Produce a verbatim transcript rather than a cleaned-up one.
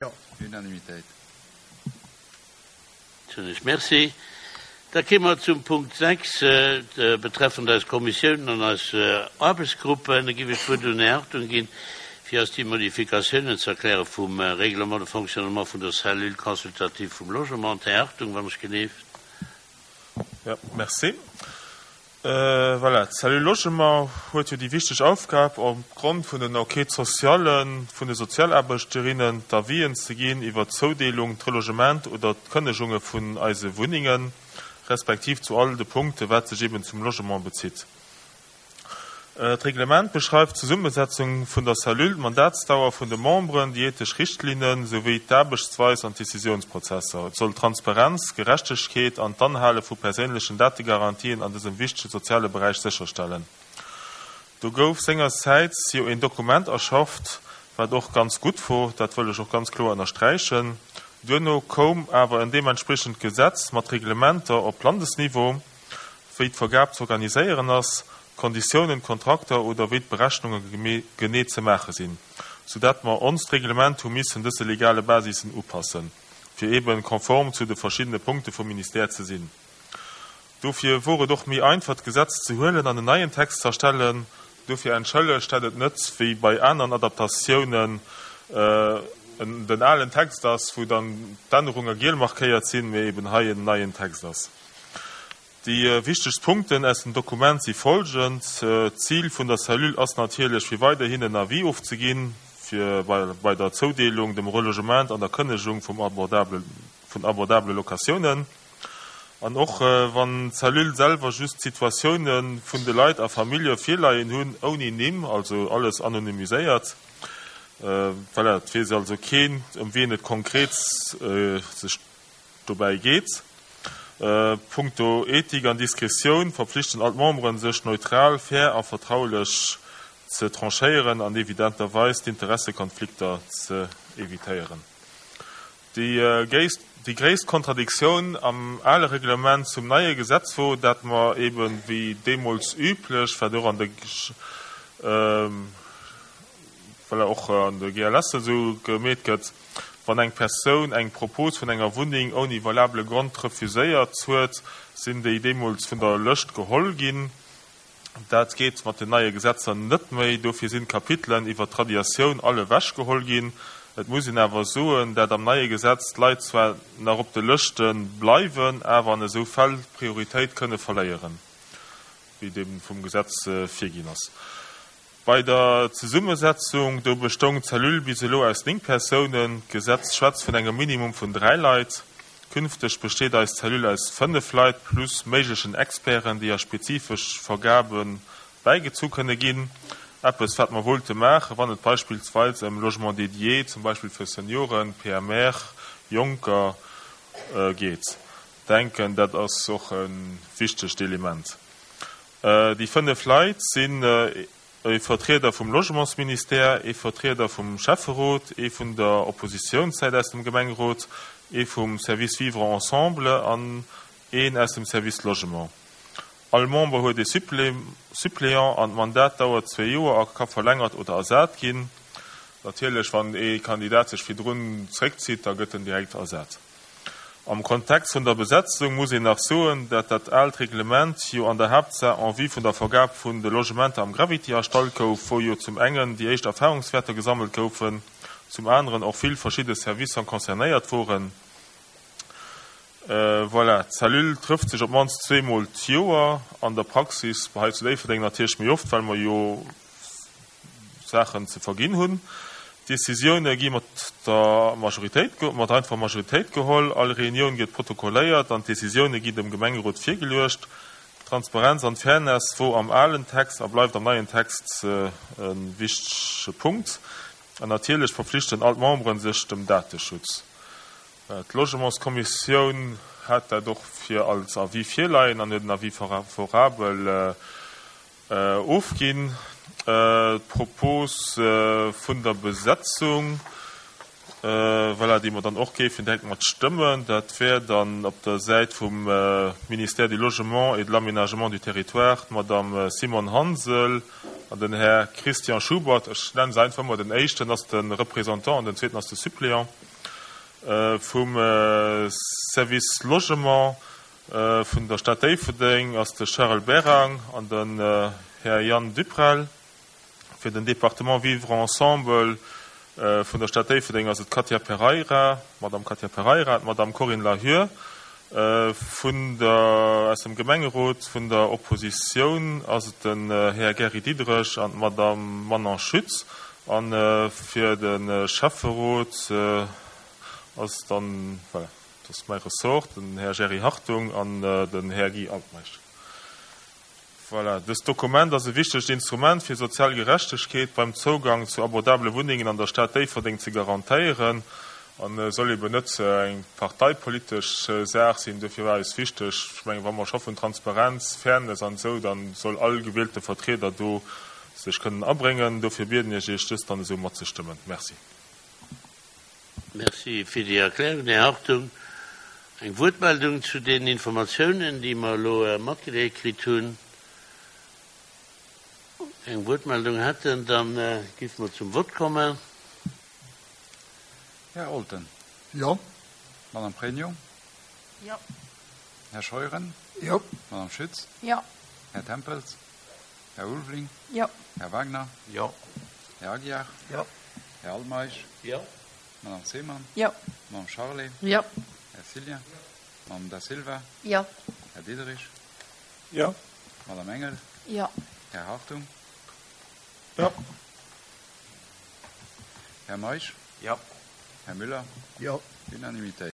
Jo. Unanimitéit. Soen ech Merci. Da kéime mer zum Punkt sechs, betreffend eis Kommissiounen an eis Aarbechtsgruppen. Da géif ech d'Wuert un den Här Hartung ginn, fir eis déi Modifikatiounen ze erkläre vum Règlement de fonctionnement vun der Cellule consultative vum Logement. Här Hartung, wann ech geleeft. Jo, merci. Voilà, d'Cellule Logement huet jo déi wichteg Aufgab, opgrond vun den Enquêtes sociales vun de Sozialaarbechterinnen d'Avisen ze ginn iwwert d'Zoudeelung, d'Relogement oder d'Kënnegunge vun eise Wunnengen, respektiv zu all de Punkte wat sech eben zum Logement bezitt. D'Reglement beschreift d'Zesummesetzung vun der Cellule, d'Mandatsdauer vun de Memberen, déi ethesch Richtlinnen, souwéi d'Aarbechtsweis an d'Decisiounsprozesser. Et soll Transparenz, Gerechtegkeet an d'Anhale vu perséinlechen Dategarantien an dësem wichtege soziale Beräich sécherstellen. Do gouf sengersäits jo een Dokument erschafft, wat och ganz gutt wor, dat wëll ech och ganz kloer ënnersträichen. Duerno koum awer en deementspriechend Gesetz mat Reglementer op Landesniveau, wéi d'Vergab z'organiséieren ass, d'Konditiounen, d'Kontrakter oder wéi d'Berechnunge genee ze maache sinn, soudatt mer onst Reglement hu missen dëse legale Basissen upassen, fir eeben konform zu de verschiddene Punkte vum Ministère ze sinn. Dofir wor et och méi einfach, d'Gesetz ze huelen an en neien Text z'erstellen. Dofir entschëllegt, dat et net wéi bei aneren Adaptatiounen den alen Text ass, wou dann d'Ännerunge giel markéiert sinn, mee eeben hei en neien Text ass. Déi wichtegst Punkten aus dem Dokument si folgend, D'Zil vun der Cellule ass natierlech, fir weiderhin en Avis ofzeginn, fir bei der Zoudeelung, dem Relogement an der Kënnegung vum abordabele, vun abordabele Locatiounen. An och wann d'Cellule selwer just d'Situatioune vun de Leit a Famillje virleien hunn, ouni Nimm, also alles anonymiséiert, voilà, et weess also keen, ëm wien et konkret sech dobäi geet. Punkto Ethik an Diskretioun verpflichten all d'Memberen, sech neutral, fair a vertraulech ze tranchéieren an evidenterweis d'Interessekonflikter ze evitéieren. Déi gréisst Kontradiktioun am ale Reglement zum neie Gesetz wor, dat mer eben, wéi deemools üblech, wat och an de, voilà, och an de G L S esou gemeet gëtt, wann eng Persoun eng Propos vun enger Wunneng ouni valabele Grond refuséiert huet, sinn déi deemools vun der Lëscht geholl ginn. Dat geet mat den neie Gesetzer net méi. Dofir sinn d'Kapitelen iwwer d'Radiatioun all ewechgeholl ginn. Et muss een awer soen, dat am neie Gesetz d'Leit zwar nach op de Lëschte bleiwen, awer an esou Fäll d'Prioritéit kënne verléieren, wéi et eben vum Gesetz virginn ass. Bei der Zesummesetzung, do bestoung d'Cellule bis elo aus néng Persounen. D'Gesetz schwätzt vun engem Minimum vun dräi Leit. Künfteg besteet eis Cellule aus fënnef Leit plus méiglechen Experten, déi a spezifesch Vergabe bäigezu kënne ginn. Eppes, wat mer wollte maachen, wann et beispillsweis ëm Logement dédié, zum Beispill fir Senioren, P M R, Jonker, geet. Denken, dat ass och e wichtegt Element. Déi fënnef Leit sinn e Vertrieder vum Logementsministère, ee Vertrieder vum Schäfferot, ee vun der Oppositiounssäit aus dem Gemengerot, ee vum Service Vivre ensemble an een aus dem Service Logement. All Member huet ee Suppléant an d'Mandat dauert zwee Joer a ka verlängert oder ersat ginn. Natierlech, wann ee Kandidat sech virdrun zréckzitt, da gëtt en direkt ersat. Am Kontext vun der Besetzung muss een nach soen, dat dat aalt Reglement jo an der Haaptsaach en vue vun der Vergab vun de Logementer am Gravity erstallt gouf, wou jo zum engen déi éischt Erfahrungswäerter gesammelt goufen, zum aneren och vill verschidde Servicer concernéiert woren. Voilà, d'Cellule trëfft sech op d'mannst zweemol d'Joer, an der Praxis hei zu Déifferdeng natierlech méi oft, well mer jo Saachen ze verginn hunn. D'Decisioune gi mat der Majoritéit, mat einfacher Majoritéit geholl. All Reunioun gëtt protokolléiert an d'Decisioune ginn dem Gemengerot virgeluecht. D'Transparenz an d'Fairness wor am alen Text a bleift am neien Text e wichtege Punkt. An natierlech verpflichten all d'Memberen sech dem Dateschutz. D'Logementskommissioun hat dat och fir als Avis virleien an huet en Avis favorabel ofginn. D'Propos vun der Besetzung, voilà, déi mer dann och géifen direkt mat stëmmen, dat wär dann op der Säit vum Ministère du Logement et de l'Aménagement du Territoire d'Madame Simone Hansel an den Här Christian Schubert. Ech nennen se einfach emol, den éischten ass de Représentant an den zweeten ass de Suppléant. Vum Service Logement vun der Stad Déifferdeng ass de Charel Berang an den Här Yann Duprel. Fir den Département Vivre ensemble vun der Stad Déifferdeng ass et d'Katia Pereira, d'Madame Katia Pereira, d'Madame Corinne Lahur. Vun der, aus dem Gemengerot vun der Oppositioun ass et den Här Gary Diderich an d'Madame Manon Schütz. A fir de Schäfferot ass dann, voilà, dat ass mäi Ressort, den Här Jerry Hartung an den Här Guy Altmeisch. Voilà, dëst Dokument ass e wichtegt Instrument fir sozial Gerechtegkeet beim Zougang zu abordabele Wunnengen an der Stad Déifferdeng ze garantéieren an soll eben net eng parteipolitesch Saach sinn. Dofir war eis wichteg, ech mengen, wa mer scho vun Transparenz, Fairness an esou, da soll all gewielte Vertrieder do sech kënnen abréngen. Dofir bieden ech Iech, dëst dann esou matzestëmmen. Merci. Merci fir déi Erklärung, Här Hartung. Eng Wuertmeldung zu den Informatiounen, déi mer elo matgedeelt kritt hunn? Keng Wuertmeldung hätten, da géife mer zum Vott kommen. Här Olten. Jo. Madame Pregno. Jo. Här Scheuren. Jo. Madame Schütz. Jo. Här Tempels. Här Ulveling. Jo. Här Wagner. Jo. Här Aguiar. Jo. Här Altmeisch. Jo. Madame Zeman. Jo. Madame Charlé. Jo. Här Cillien. Madame Da Silva. Jo. Här Diderich. Jo. Madame Engel. Jo. Här Hartung. Jo. Här Meisch. Jo. Här Müller. Jo. Unanimitéit.